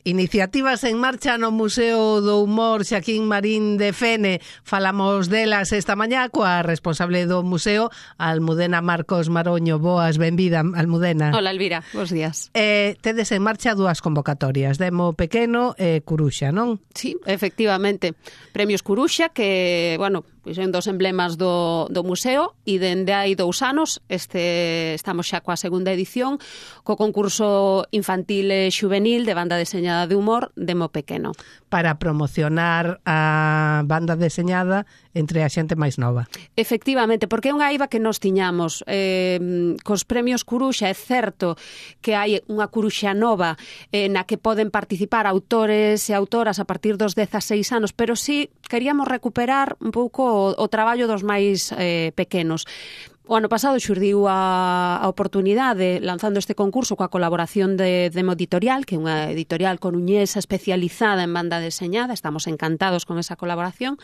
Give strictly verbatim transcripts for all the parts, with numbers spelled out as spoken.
Iniciativas en marcha no Museo do Humor Xaquín Marín de Fene. Falamos delas esta mañá coa responsable do museo, Almudena Marcos Maroño. Boas, benvida, Almudena. Hola, Elvira, bons días. Eh, tedes en marcha dúas convocatorias, Demo Pequeno e Curuxa, non? Sí, efectivamente. Premios Curuxa, que, bueno, pois son dos emblemas do, do museo, e dende hai dous anos este, estamos xa coa segunda edición co concurso infantil e xuvenil de banda deseñada de humor Demo Pequeno. Para promocionar a banda deseñada entre a xente máis nova. Efectivamente, porque é unha eiva que nos tiñamos. Eh, cos premios Curuxa é certo que hai unha Curuxa nova eh, na que poden participar autores e autoras a partir dos dezaseis anos, pero sí queríamos recuperar un pouco o, o traballo dos máis eh, pequenos. O ano pasado xurdiu a, a oportunidade lanzando este concurso coa colaboración de Demo Editorial, que é unha editorial coruñesa especializada en banda deseñada. Estamos encantados con esa colaboración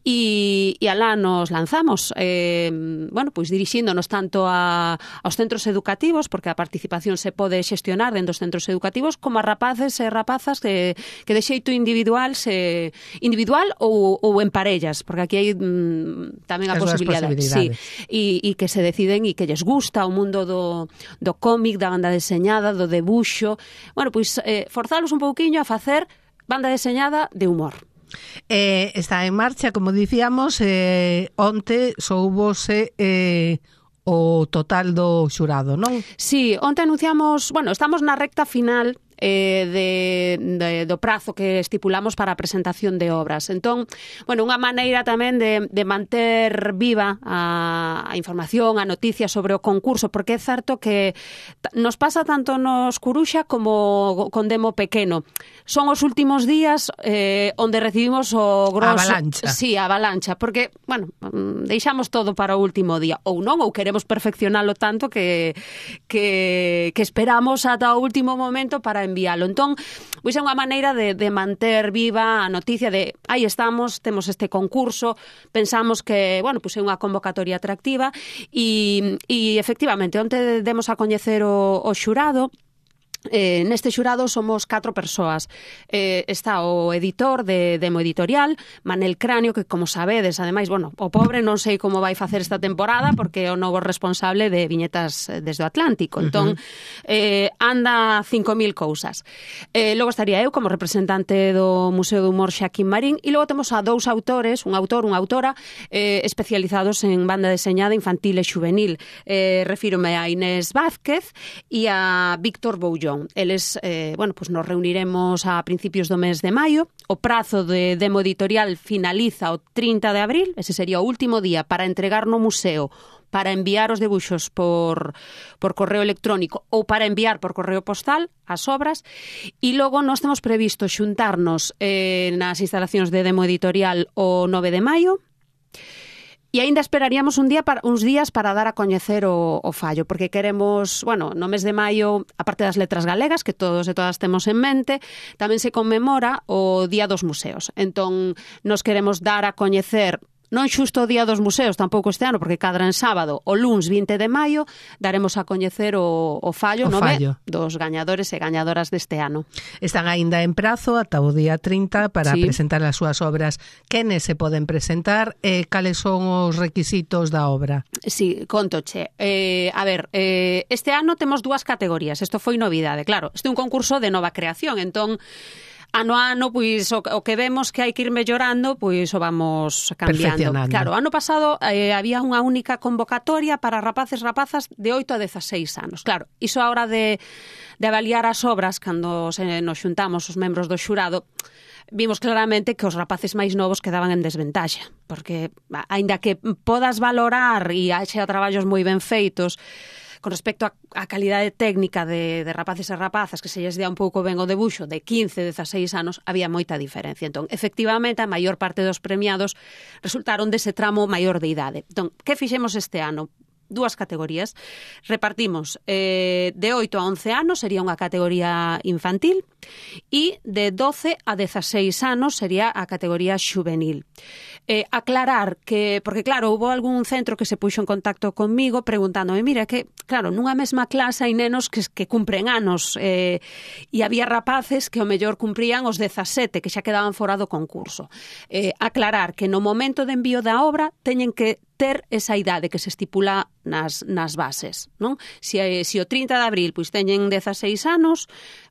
e, e alá nos lanzamos, eh, bueno, pois dirixíndonos tanto a, aos centros educativos, porque a participación se pode xestionar dentro dos centros educativos, como a rapaces e rapazas que, que de xeito individual se individual ou, ou en parellas, porque aquí hai mm, tamén a posibilidade. Sí, e e que se deciden e que lles gusta o mundo do, do cómic, da banda deseñada, do debuxo. Bueno, pois eh, forzalos un pouquiño a facer banda deseñada de humor. Eh, está en marcha, como dicíamos, eh, onte soubose eh, o total do xurado, non? Sí, onte anunciamos, bueno, estamos na recta final Eh, de, de, do prazo que estipulamos para a presentación de obras. Entón, bueno, unha maneira tamén de, de manter viva a, a información, a noticia sobre o concurso, porque é certo que nos pasa tanto nos Curuxa como con Demo Pequeno. Son os últimos días eh, onde recibimos o grosso... Avalancha. Sí, a avalancha, porque, bueno, deixamos todo para o último día, ou non, ou queremos perfeccionalo tanto que, que, que esperamos ata o último momento para enviálo. Entón, pois é unha maneira de, de manter viva a noticia de aí estamos, temos este concurso, pensamos que, bueno, pois é unha convocatoria atractiva e, e efectivamente, onte demos a coñecer o, o xurado. Eh, neste xurado somos catro persoas. Eh, está o editor de Demo Editorial, Manel Cráneo, que, como sabedes, ademais, bueno, o pobre non sei como vai facer esta temporada porque é o novo responsable de Viñetas desde o Atlántico. Entón, uh-huh. eh, anda cinco mil cousas. Eh, logo estaría eu como representante do Museo do Humor Xaquín Marín, e logo temos a dous autores, un autor, unha autora, eh, especializados en banda deseñada infantil e xuvenil. Eh, refírome a Inés Vázquez e a Víctor Boullón. Eles, eh, bueno, pues nos reuniremos a principios do mes de maio. O prazo de Demo Editorial finaliza o trinta de abril, ese sería o último día para entregar no museo, para enviar os debuxos por, por correo electrónico ou para enviar por correo postal as obras, e logo nós temos previsto xuntarnos eh, nas instalacións de Demo Editorial o nove de maio. E aínda esperaríamos un día para, uns días para dar a coñecer o, o fallo, porque queremos, bueno, no mes de maio, a parte das letras galegas, que todos e todas temos en mente, tamén se conmemora o Día dos Museos. Entón, nos queremos dar a coñecer non xusto o Día dos Museos, tampouco este ano, porque cadra en sábado, o luns vinte de maio, daremos a coñecer o, o fallo, o nome fallo dos gañadores e gañadoras deste ano. Están aínda en prazo ata o día trinta para sí. presentar as súas obras. Quenes se poden presentar e cales son os requisitos da obra? Sí, contoche. Eh, a ver, eh, este ano temos dúas categorías. Isto foi novidade, claro. Este é un concurso de nova creación, entón ano a ano, pois, o, o que vemos que hai que ir mellorando, pois o vamos cambiando. Claro, ano pasado eh, había unha única convocatoria para rapaces rapazas de oito a dezaseis anos. Claro, iso a hora de, de avaliar as obras, cando se nos xuntamos os membros do xurado, vimos claramente que os rapaces máis novos quedaban en desventaxa, porque, aínda que podas valorar e haxa traballos moi ben feitos, con respecto a, a calidade técnica de, de rapaces e rapazas que se lles dea un pouco ben o debuxo de quince, dezaseis anos, había moita diferencia. Entón, efectivamente, a maior parte dos premiados resultaron dese tramo maior de idade. Entón, que fixemos este ano? dúas categorías. Repartimos eh, de oito a once anos sería unha categoría infantil e de doce a dezaseis anos sería a categoría xuvenil. Eh, aclarar que, porque claro, houve algún centro que se puxo en contacto conmigo preguntándome, mira, que claro, nunha mesma clase hai nenos que, que cumpren anos eh, e había rapaces que ao mellor cumprían os dezasete, que xa quedaban fora do concurso. Eh, aclarar que no momento de envío da obra teñen que ter esa idade que se estipula nas, nas bases, non? Se, se o trinta de abril pois teñen dezaseis anos,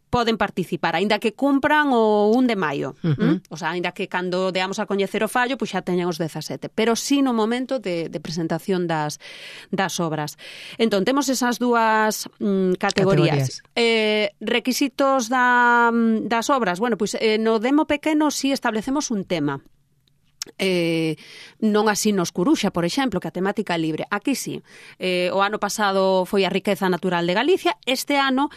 poden participar, aínda que cumpran o un de maio. Uh-huh. O sea, aínda que cando deamos a coñecer o fallo, pois xa teñen os dezasete. Pero sí no momento de, de presentación das, das obras. Entón, temos esas dúas mm, categorías. categorías. Eh, requisitos da, das obras. Bueno, pois eh, no demo pequeno sí establecemos un tema. Eh, non así nos Coruxa, por exemplo, que a temática é libre. Aquí sí. Eh, o ano pasado foi a riqueza natural de Galicia. Este ano,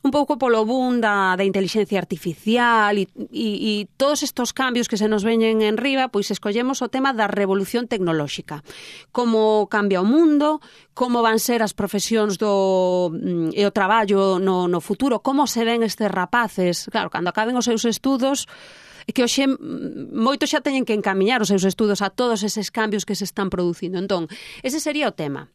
un pouco polo boom da, da inteligencia artificial e, e, e todos estos cambios que se nos veñen en riba, pois escollemos o tema da revolución tecnolóxica. Como cambia o mundo, como van ser as profesións do, e o traballo no, no futuro, como se ven estes rapaces. Claro, cando acaben os seus estudos, que hoxe moitos xa teñen que encamiñar os seus estudos a todos eses cambios que se están producindo. Entón, ese sería o tema.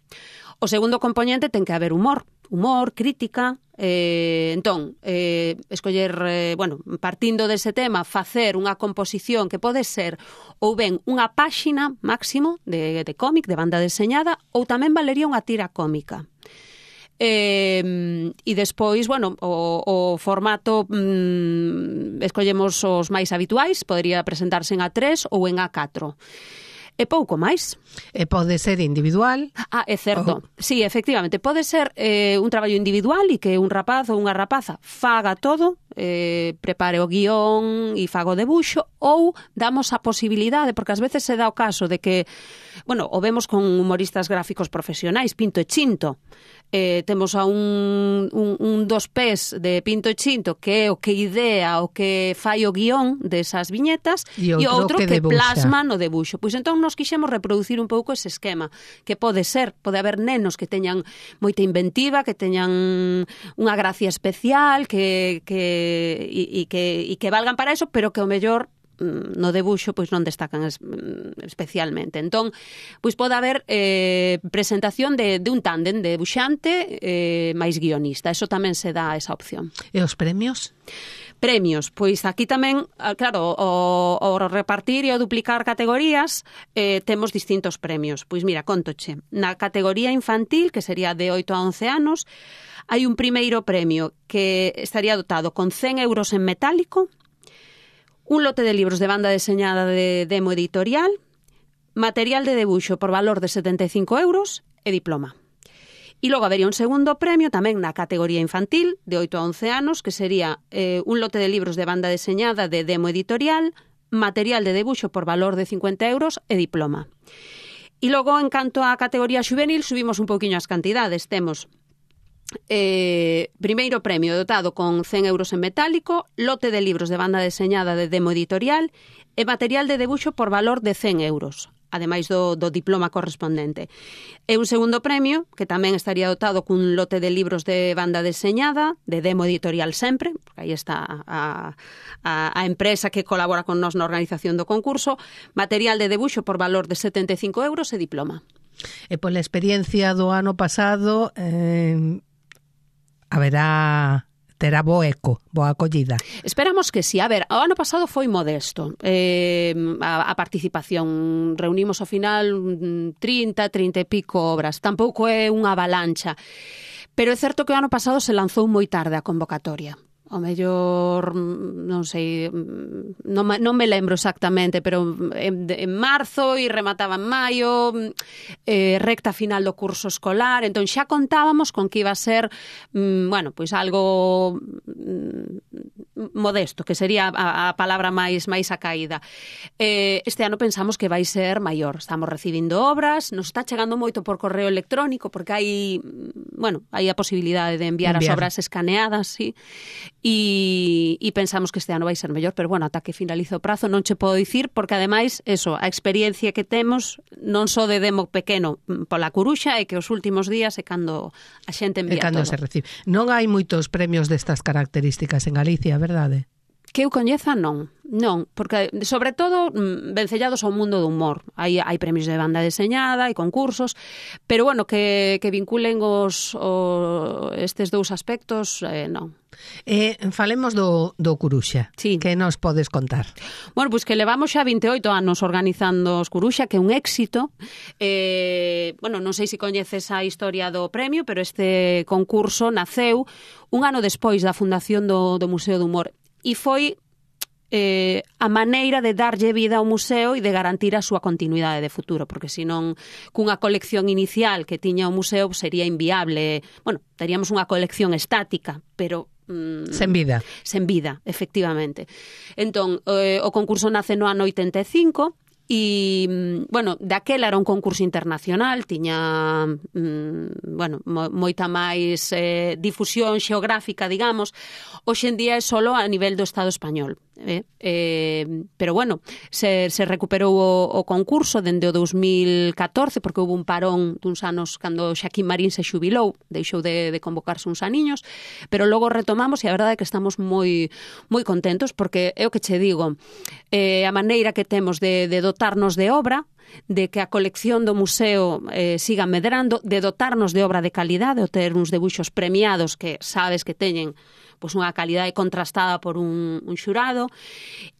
O segundo componente ten que haber humor, humor, crítica. Eh, entón, eh, escoller, eh, bueno, partindo dese tema, facer unha composición que pode ser ou ben unha páxina máximo de, de cómic, de banda deseñada, ou tamén valería unha tira cómica. Eh, e despois, bueno, o, o formato mm, escollemos os máis habituais, podería presentarse en A tres ou en A catro. E pouco máis. E pode ser individual. Ah, é certo. Oh. Sí, efectivamente, pode ser eh, un traballo individual e que un rapaz ou unha rapaza faga todo, eh, prepare o guión e faga o debuxo, ou damos a posibilidade, porque ás veces se dá o caso de que, bueno, o vemos con humoristas gráficos profesionais, Pinto e Chinto. Eh, temos a un, un, un dos pés de Pinto e Chinto que é o que idea, o que fai o guión desas viñetas e outro, e outro que, que plasma no debuxo. Pois entón nos quixemos reproducir un pouco ese esquema, que pode ser, pode haber nenos que teñan moita inventiva, que teñan unha gracia especial, que, que, e, e que, e que valgan para eso, pero que o mellor no debuxo pois non destacan es, especialmente. Entón, pois pode haber eh, presentación de, de un tándem de debuxante eh, máis guionista. Eso tamén se dá esa opción. E os premios? Premios, pois aquí tamén, claro, o, o repartir e o duplicar categorías eh, temos distintos premios. Pois mira, contoche, na categoría infantil, que sería de oito a once anos, hai un primeiro premio que estaría dotado con cen euros en metálico, un lote de libros de banda deseñada de demo editorial, material de debuxo por valor de setenta e cinco euros e diploma. E logo habería un segundo premio tamén na categoría infantil, de oito a once anos, que sería eh, un lote de libros de banda deseñada de demo editorial, material de debuxo por valor de cincuenta euros e diploma. E logo, en canto á categoría xuvenil, subimos un pouquiño as cantidades. Temos Eh, primeiro premio dotado con cen euros en metálico, lote de libros de banda deseñada de demo editorial e material de debuxo por valor de cen euros, ademais do, do diploma correspondente. E un segundo premio, que tamén estaría dotado cun lote de libros de banda deseñada, de demo editorial sempre, porque aí está a, a, a empresa que colabora con nós na organización do concurso, material de debuxo por valor de setenta e cinco euros e diploma. E pola experiencia do ano pasado, eh, haberá... terá bo eco, boa acollida. Esperamos que sí. A ver, o ano pasado foi modesto. Eh, a, a participación, reunimos ao final trinta, trinta e pico obras. Tampouco é unha avalancha. Pero é certo que o ano pasado se lanzou moi tarde a convocatoria. O mellor, non sei, non, non me lembro exactamente, pero en, en marzo e remataba en maio, eh, recta final do curso escolar, entón xa contábamos con que iba a ser, mm, bueno, pois algo mm, modesto, que sería a, a palabra máis máis acaída. Eh, este ano pensamos que vai ser maior, estamos recibindo obras, nos está chegando moito por correo electrónico, porque hai, bueno, hai a posibilidade de enviar, enviar. as obras escaneadas, sí. e, e pensamos que este ano vai ser mellor, pero bueno, ata que finalice o prazo non che podo dicir, porque ademais, eso, a experiencia que temos non só de demo pequeno pola curuxa, é que os últimos días é cando a xente envía é cando todo. Se recibe. Non hai moitos premios destas características en Galicia, verdade? Que eu coñeza, non. Non, porque, sobre todo, vencellados ao mundo do humor. Hai, hai premios de banda deseñada, hai concursos, pero, bueno, que, que vinculen os, o, estes dous aspectos, eh, non. Eh, falemos do, do Curuxa. Sí. Que nos podes contar? Bueno, pois pues que levamos xa vinte e oito anos organizando os Curuxa, que é un éxito. Eh, bueno, non sei se coñeces a historia do premio, pero este concurso naceu un ano despois da fundación do, do Museo do Humor. E foi eh, a maneira de darlle vida ao museo e de garantir a súa continuidade de futuro, porque senón cunha colección inicial que tiña o museo sería inviable. Bueno, teríamos unha colección estática, pero mm, sen vida. Sen vida, efectivamente. Entón, eh, o concurso nace no ano oitenta e cinco e, bueno, daquela era un concurso internacional, tiña, mm, bueno, mo, moita máis eh, difusión xeográfica, digamos. Hoxe en día é solo a nivel do Estado español. Eh? Eh, pero bueno, se, se recuperou o, o concurso dende o dos mil catorce, porque houve un parón duns anos cando Xaquín Marín se xubilou, deixou de, de convocarse uns aniños, pero logo retomamos e a verdade é que estamos moi moi contentos, porque é o que che digo, eh, a maneira que temos de, de dotarnos de obra, de que a colección do museo eh, siga medrando, de dotarnos de obra de calidade, de ter uns debuxos premiados que sabes que teñen pois unha calidade contrastada por un, un xurado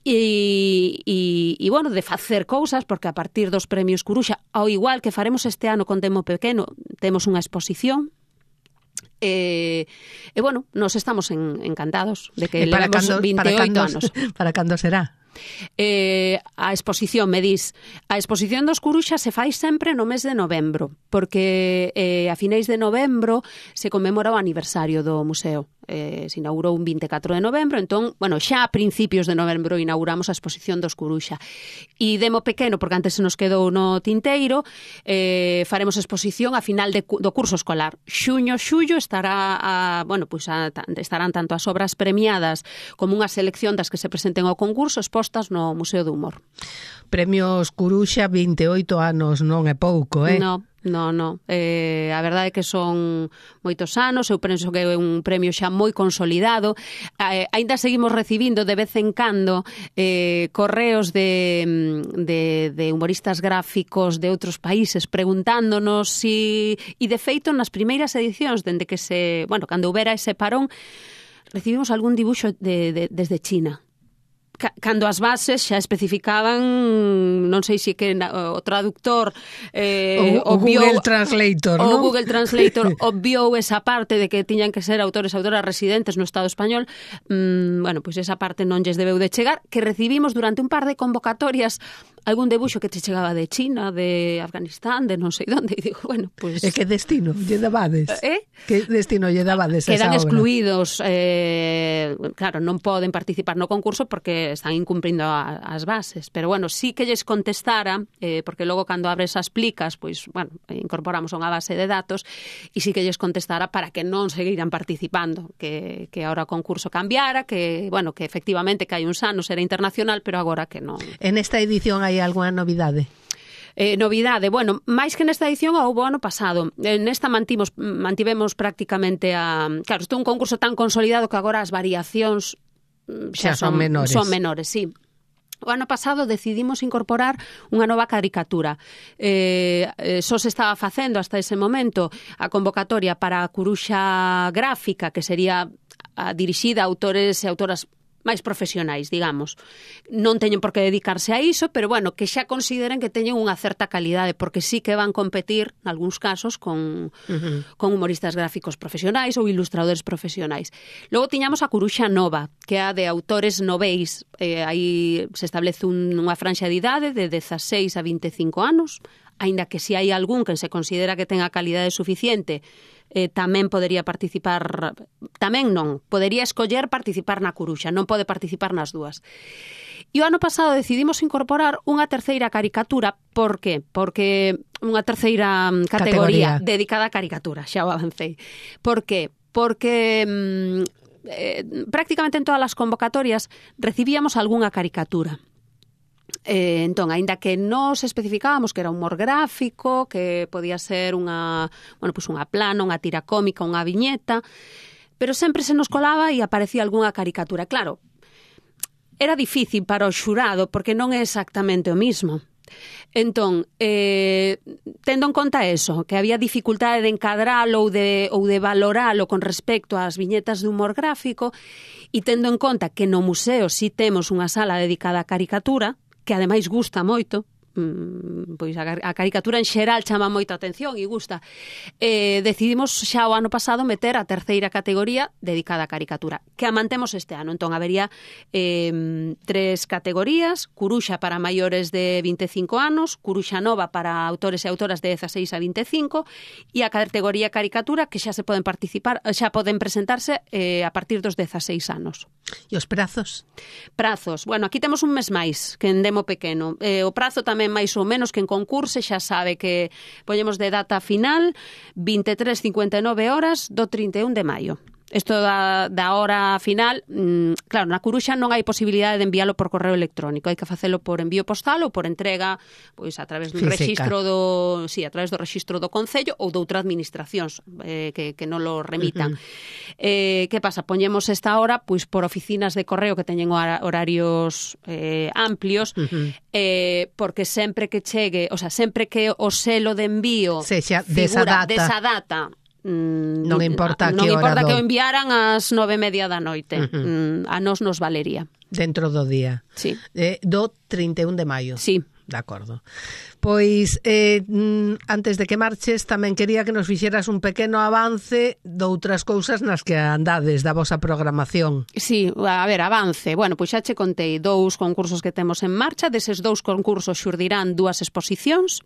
e, e, e, bueno, de facer cousas, porque a partir dos premios Curuxa, ao igual que faremos este ano con Demo Pequeno, temos unha exposición. E, e bueno, nos estamos en, encantados de que levamos vinte e oito anos. Para cando será? Eh, a exposición, me dis, a exposición dos Curuxa se fai sempre no mes de novembro, porque eh, a finais de novembro se conmemora o aniversario do museo. Eh, se inaugurou un vinte e catro de novembro, entón, bueno, xa a principios de novembro inauguramos a exposición dos Curuxa. E Demo Pequeno, porque antes se nos quedou no tinteiro, eh, faremos exposición a final de, do curso escolar. Xuño, xullo estará a, bueno, pues a, estarán tanto as obras premiadas como unha selección das que se presenten ao concurso expostas no Museo do Humor. Premios Curuxa, vinte e oito anos, non é pouco, eh? No. No, no. Eh, a verdade é que son moitos anos, eu penso que é un premio xa moi consolidado. Eh, aínda seguimos recibindo de vez en cando eh, correos de, de, de humoristas gráficos de outros países preguntándonos si... E de feito, nas primeiras edicións, dende que se... Bueno, cando houbera ese parón, recibimos algún dibuixo de, de, desde China. Cando as bases xa especificaban, non sei se que o traductor eh, o, o Google Translator, o ¿no? Google Translator obviou esa parte de que tiñan que ser autores e autoras residentes no Estado español. Mm, bueno, pois pues esa parte non lles debeu de chegar, que recibimos durante un par de convocatorias algún debuxo que te chegaba de China, de Afganistán, de non sei onde, e digo, bueno, pois... Pues... E que destino lle dabades? Eh? Que destino lle dabades esa Quedan obra? excluídos, eh, claro, non poden participar no concurso porque están incumprindo a, as bases, pero bueno, sí que lles contestara, eh, porque logo cando abres as plicas, pois, bueno, incorporamos unha base de datos, e sí que lles contestara para que non seguiran participando, que, que ahora o concurso cambiara, que, bueno, que efectivamente que hai uns anos era internacional, pero agora que non. En esta edición hai algunha novidade? Eh, novidade, bueno, máis que nesta edición houve o ano pasado. Nesta mantimos, mantivemos prácticamente a... Claro, isto é un concurso tan consolidado que agora as variacións xa, xa son, son menores. Son menores, sí. O ano pasado decidimos incorporar unha nova caricatura. Eh, eh, só se estaba facendo hasta ese momento a convocatoria para a Curuxa gráfica, que sería a dirixida a autores e autoras máis profesionais, digamos. Non teñen por que dedicarse a iso, pero bueno, que xa consideren que teñen unha certa calidade, porque sí que van competir, nalgúns casos, con, uh-huh. con humoristas gráficos profesionais ou ilustradores profesionais. Logo tiñamos a Curuxa Nova, que é a de autores noveis. Eh, aí se establece un, unha franxa de idade de dezaseis a vinte e cinco anos, aínda que se hai algún que se considera que ten a calidade suficiente, Eh, tamén podería participar, tamén non, podería escoller participar na Curuxa, non pode participar nas dúas. E o ano pasado decidimos incorporar unha terceira caricatura. Por que? Porque unha terceira categoría, categoría dedicada á caricatura, xa o avancei. Por que? Porque... Mm, eh, prácticamente en todas as convocatorias recibíamos algunha caricatura. Eh, entón, aínda que nos especificábamos que era humor gráfico, que podía ser unha, bueno, pues unha plana, unha tira cómica, unha viñeta, pero sempre se nos colaba e aparecía algunha caricatura. Claro, era difícil para o xurado porque non é exactamente o mismo. Entón, eh, tendo en conta eso, que había dificultade de encadralo ou de, ou de valoralo con respecto ás viñetas de humor gráfico, e tendo en conta que no museo si temos unha sala dedicada á caricatura, que ademais gusta moito, pois a, a caricatura en xeral chama moita atención e gusta, eh, decidimos xa o ano pasado meter a terceira categoría dedicada á caricatura, que a mantemos este ano. Entón, habería eh, tres categorías: Curuxa para maiores de vinte e cinco anos, Curuxa Nova para autores e autoras de dezaseis a vinte e cinco, e a categoría caricatura, que xa se poden participar, xa poden presentarse eh, a partir dos dezaseis anos. E os prazos? Prazos, bueno, aquí temos un mes máis que en Demo Pequeno. Eh, o prazo tamén máis ou menos que en concurso, xa sabe que poñemos de data final vinte e tres cincuenta e nove horas do trinta e un de maio. Isto da, da hora final, mmm, claro, na Curuxa non hai posibilidade de enviálo por correo electrónico, hai que facelo por envío postal ou por entrega, pois a través do física. rexistro do, sí, a través do rexistro do Concello ou de outra administracións eh, que, que non lo remitan. Uh-huh. Eh, que pasa? Poñemos esta hora pois por oficinas de correo que teñen horarios eh, amplios, uh-huh. eh, porque sempre que chegue, o sea, sempre que o selo de envío sexa figura desa data, desa data non importa non que importa hora que do... o enviaran ás nove e media da noite. Uh-huh. A nos nos valería. Dentro do día. Sí. Eh, do trinta e un de maio. Sí. De acordo. Pois, eh, antes de que marches, tamén quería que nos fixeras un pequeno avance de outras cousas nas que andades da vosa programación. Sí, a ver, avance. Bueno, pois xa che contei dous concursos que temos en marcha. Deses dous concursos xurdirán dúas exposicións.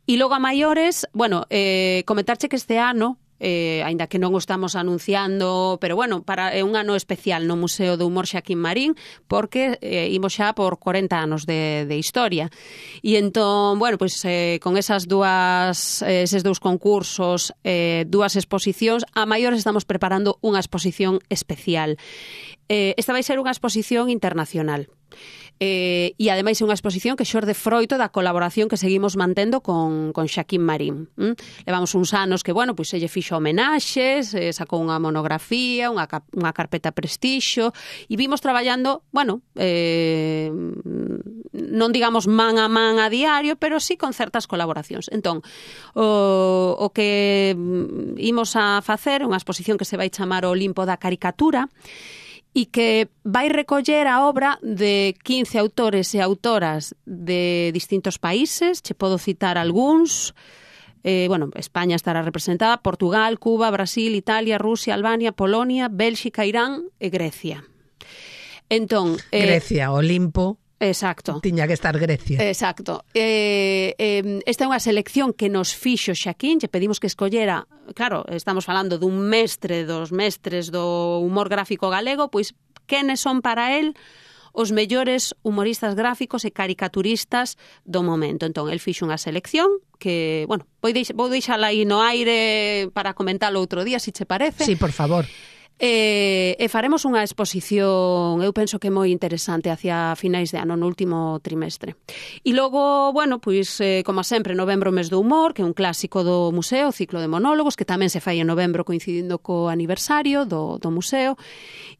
E logo a maiores, bueno, eh, comentarche que este ano, eh, aínda que non o estamos anunciando, pero bueno, para é un ano especial no Museo do Humor Xaquín Marín, porque eh, imos xa por corenta anos de, de historia. E entón, bueno, pois eh, con esas dúas, eh, eses dous concursos, eh, dúas exposicións, a maiores estamos preparando unha exposición especial. Eh, esta vai ser unha exposición internacional. Eh, e ademais é unha exposición que xorde froito da colaboración que seguimos mantendo con, con Xaquín Marín. ¿Mm? Levamos uns anos que, bueno, pois se lle fixo homenaxes, eh, sacou unha monografía, unha, unha carpeta prestixio, e vimos traballando, bueno, eh, non digamos man a man a diario, pero sí con certas colaboracións. Entón, o, o que imos a facer unha exposición que se vai chamar o Olimpo da Caricatura, e que vai recoller a obra de quince autores e autoras de distintos países. Che podo citar algúns. Eh, bueno, España estará representada, Portugal, Cuba, Brasil, Italia, Rusia, Albania, Polonia, Bélxica, Irán e Grecia. Entón, eh, Grecia, Olimpo. Exacto. Tiña que estar Grecia. Exacto. Eh, eh, esta é unha selección que nos fixo Xaquín, lle pedimos que escollera, claro, estamos falando dun mestre dos mestres do humor gráfico galego, pois quenes son para él os mellores humoristas gráficos e caricaturistas do momento. Entón, el fixo unha selección que, bueno, vou, deix, vou deixala aí no aire para comentalo outro día, se che parece. Sí, por favor. E, e faremos unha exposición, eu penso que moi interesante hacia finais de ano, no último trimestre. E logo, bueno, pois, eh, como sempre, novembro, mes do humor, que é un clásico do museo, o ciclo de monólogos, que tamén se fai en novembro coincidindo co aniversario do, do museo.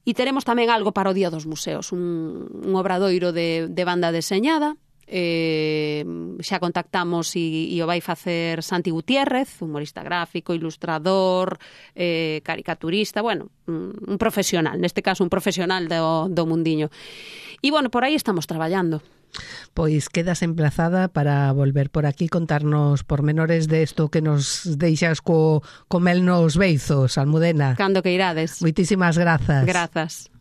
E teremos tamén algo para o Día dos Museos, un, un obradoiro de, de banda deseñada. Eh, xa contactamos e, e o vai facer Santi Gutiérrez, humorista gráfico, ilustrador, eh, caricaturista, bueno, un, un profesional, neste caso un profesional do, do mundiño. E bueno, por aí estamos traballando. Pois quedas emplazada para volver por aquí contarnos pormenores de isto que nos deixas co, co mel nos beizos, Almudena. Cando que irades. Moitísimas grazas. Grazas.